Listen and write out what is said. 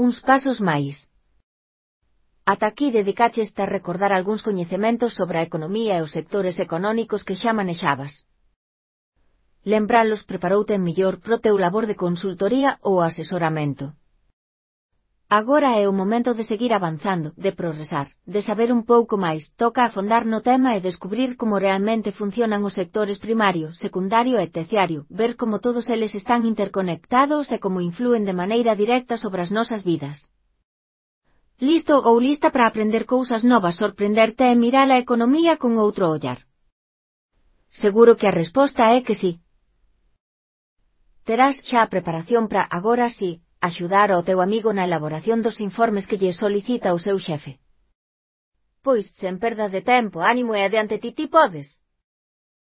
Uns pasos máis. Ata aquí dedicaches a recordar algúns coñecementos sobre a economía e os sectores económicos que xa manexabas. Lembralos preparoute mellor pro teu labor de consultoría ou asesoramento. Agora é o momento de seguir avanzando, de progresar, de saber un pouco máis, toca afondar no tema e descubrir como realmente funcionan os sectores primario, secundario e terciario, ver como todos eles están interconectados e como inflúen de maneira directa sobre as nosas vidas. Listo ou lista para aprender cousas novas, sorprenderte e mirar a economía con outro ollar? Seguro que a resposta é que sí. Terás xa a preparación para, agora sí, axudar ao teu amigo na elaboración dos informes que lle solicita o seu xefe. Pois, sen perda de tempo, ánimo e adiante ti podes.